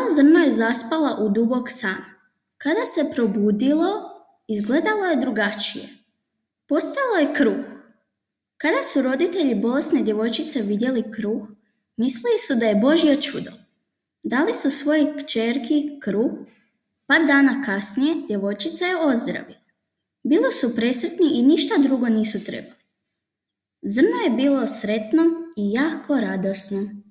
Mala zrno je zaspala u dubok san. Kada se probudilo, izgledalo je drugačije. Postalo je kruh. Kada su roditelji bolesne djevojčice vidjeli kruh, mislili su da je Božje čudo. Dali su svojoj kćerki kruh. Par dana kasnije djevojčica je ozdravila. Bili su presretni i ništa drugo nisu trebali. Zrno je bilo sretno i jako radosno.